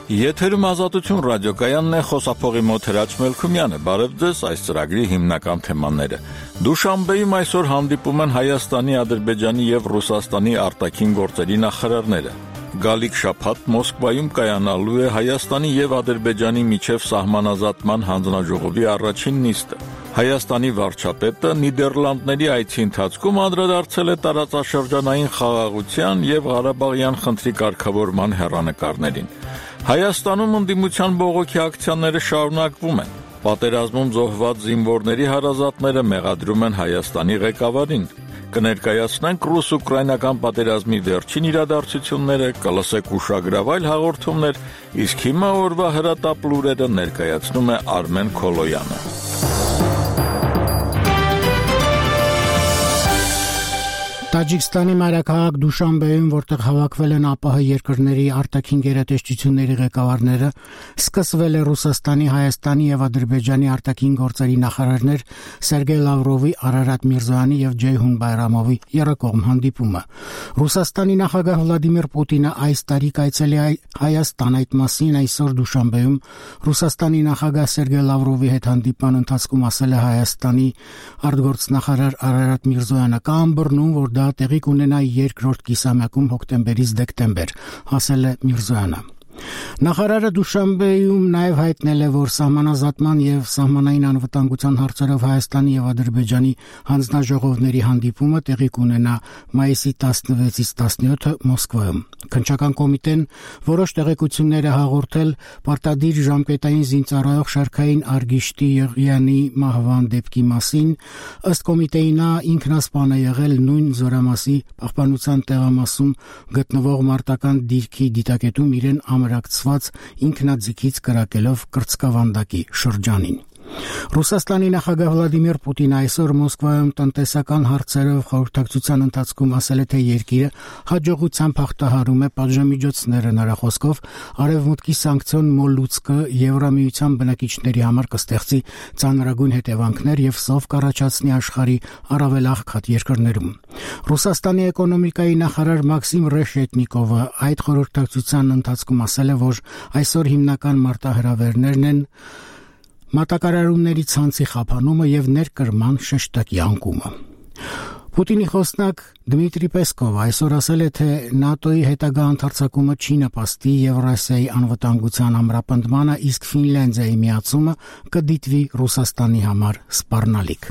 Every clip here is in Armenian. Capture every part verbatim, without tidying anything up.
Եթերում Ազատություն ռադիոկայանն է, խոսափողի մոտ Հրաչ Մելքումյանը։ Բարև ձեզ, այս ծրագրի հիմնական թեմաները։ Դուշանբեում այսօր հանդիպում են Հայաստանի, Ադրբեջանի եւ Ռուսաստանի արտաքին գործերի նախարարները։ Գալիք շաբաթ Մոսկվայում կայանալու է Հայաստանի եւ Ադրբեջանի միջև սահմանազատման հանձնաժողովի առաջին նիստը։ Հայաստանի վարչապետը Նիդերլանդների այցի ընթացքում անդրադարձել է տարածաշրջանային խաղաղության եւ Ղարաբաղյան խնդրի կարգավորման հեռանկարներին։ Հայաստանում ընդդիմության բողոքի ակցիաները շարունակվում են։ Պատերազմում զոհված զինվորների հարազատները մեղադրում են Հայաստանի ղեկավարին։ Կներկայացնենք ռուս-ուկրաինական պատերազմի վերջին իրադարձությունները, կլսեք ուշագրավայր հաղորդումներ, իսկ հիմա օրվա հրատապ լուրերը ներկայացնում է Արմեն Քոլոյանը։ Տաջիկստանի մայրաքաղաք Դուշանբեում, որտեղ հավաքվել են ԱՊՀ երկրների արտաքին գերատեսչությունների ղեկավարները, սկսվել է Ռուսաստանի, Հայաստանի եւ Ադրբեջանի արտաքին գործերի նախարարներ Սերգեյ Լավրովի, Արարատ Միրզոյանի եւ Ջեյհուն Բայրամովի երկկողմ հանդիպումը։ Ռուսաստանի նախագահ Վլադիմիր Պուտինը այս տարի կայցելի Հայաստան, այդ մասին այսօր Դուշանբեում Ռուսաստանի նախագահ Սերգեյ Լավրովի հետ հանդիպման ընթացքում ասել է Հայաստանի արտգործնախարար Արարատ Միրզոյանը, կա ըմբռնում, որ դա տեղի կունենա երկրորդ կիսամյակում հոկտեմբերից դեկտեմբեր, ասել է Միրզոյանը։ Նախարարը Դուշանբեում նաև հայտնել է, որ սահմանազատման եւ սահմանային անվտանգության հարցերով Հայաստանի եւ Ադրբեջանի հանձնաժողովների հանդիպումը տեղի կունենա մայիսի տասնվեցից տասնյոթը Մոսկվայում։ Քննչական կոմիտեն որոշ տեղեկություններ է հաղորդել պարտադիր ժամկետային զինծառայող Շարքային Արգիշտի Եղյանի մահվան դեպքի մասին։ Ըստ կոմիտեի նա ինքնասպան է եղել նույն զորամասի պահպանության տեղամասում գտնվող մարտական դիրքի դիտակետում իրեն ամրակցված ինքնաձիգից կրակելով կրծքավանդակի շրջանին։ Ռուսաստանի նախագահ Վլադիմիր Պուտինը այսօր Մոսկվայում տնտեսական հարցերով խորհրդակցության ընթացքում ասել է, թե երկիրը հաջողությամբ հաղթահարում է պատժամիջոցները, նրա խոսքով արևմուտքի սանկցիոն մոլուցկը Եվրամիության բնակիչների համար կստեղծի ծանրագույն հետևանքներ եւ սով կառաջացնի աշխարհի առավել աղքատ երկրներում։ Ռուսաստանի էկոնոմիկայի նախարար Մաքսիմ Ռեշետնիկովը այդ խորհրդակցության ընթացքում ասել է, որ այսօր հիմնական մարտահրավերներն են մատակարարումների ցանցի խափանումը եւ ներկրման շեշտակի անկումը։ Պուտինի խոսնակ Դմիտրի Պեսկովը այսօր ասել է, թե ՆԱՏՕ-ի հետագա ընդարձակումը չի նպաստի Եվրասիայի անվտանգության ամրապնդմանը, իսկ Ֆինլանդիայի միացումը կդիտվի Ռուսաստանի համար սպառնալիք։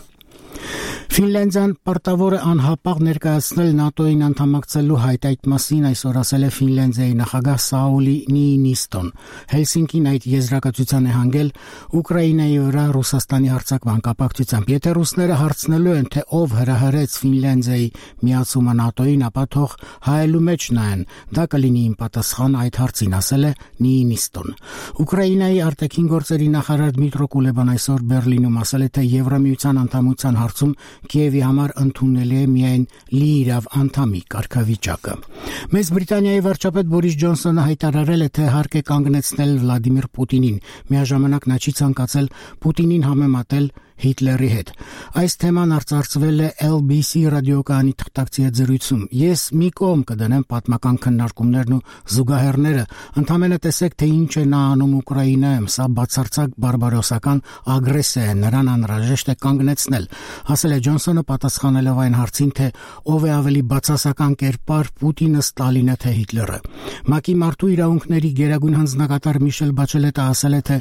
Ֆինլանդիան պարտավոր է անհապաղ ներկայացնել ՆԱՏՕ-ին անդամակցելու հայտ, այդ մասին այսօր ասել է Ֆինլանդիայի նախագահ Սաուլի Նիինիստոն։ Հելսինկին այդ եզրակացության է հանգել Ուկրաինայի վրա Ռուսաստանի հարձակման կապակցությամբ։ Եթե ռուսները հարցնելու են, թե ով հրահրեց Ֆինլանդիայի միացումը ՆԱՏՕ-ին, ապա թող հայելու մեջ նայեն, դա կլինի իմ պատասխան այդ հարցին, ասել է Նիինիստոն։ Ուկրաինայի արտաքին գործերի նախարար Դմիտրո Կուլեբան այսօր Բերլինում ասել է, թե Եվրամիության անդամության հարցում Կիևի համար ընդունելի է միայն լիիրավ անդամի կարգավիճակը։ Մեծ Բրիտանիայի վարչապետ Բորիս Ջոնսոնը հայտարարել է, թե հարկ է կանգնեցնել Վլադիմիր Պուտինին։ Միաժամանակ նա չի ցանկացել Պուտինին համեմատել Հիտլերի հետ։ Այս թեման արծարծվել է L B C ռադիոկայանի թղթակցի հետ զրույցում։ Ես մի կողմ կդնեմ պատմական քննարկումներն ու զուգահեռները, ընդհանրապես տեսեք, թե ինչ է նա անում Ուկրաինայում, սա բացարձակ բարբարոսական ագրեսիա է, նրան անհրաժեշտ է կանգնեցնել, ասել է Ջոնսոնը պատասխանելով այն հարցին, թե ով է ավելի բացասական կերպար, Պուտինը, Ստալինը թե Հիտլերը։ ՄԱԿ-ի մարդու իրավունքների գերագույն հանձնակատար Միշել Բաչելետը ասել է, թե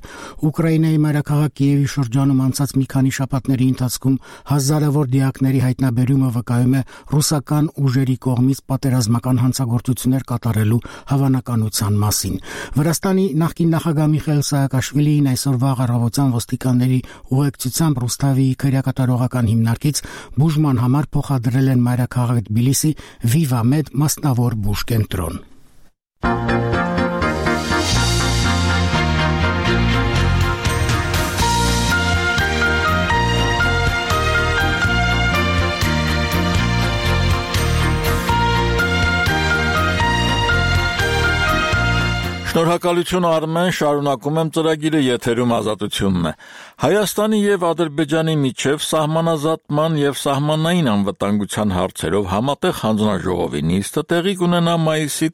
Ուկրաինայի մայրաքաղաք Կիևի շրջանում անցած մի քանի շաբաթների ընթացքում հազարավոր դիակների հայտնաբերումը վկայում է ռուսական ուժերի կողմից պատերազմական հանցագործություններ կատարելու հավանականության մասին։ Վրաստանի նախկին նախագահ Միխայիլ Սաակաշվիլին այսօր վաղ առավոտյան ոստիկանների ուղեկցությամբ Ռուսթավիի քրեակատարողական հիմնարկից բուժման համար փոխադրել են մայրաքաղաք Թբիլիսի Վիվամեդ մասնավոր բուժկենտրոն։ Շնորհակալություն Արմեն, շարունակում եմ ծրագիրը, եթերում Ազատությունն է։ Հայաստանի եւ Ադրբեջանի միջև սահմանազատման եւ սահմանային անվտանգության հարցերով համատեղ հանձնաժողովի նիստը տեղի կունենա մայիսի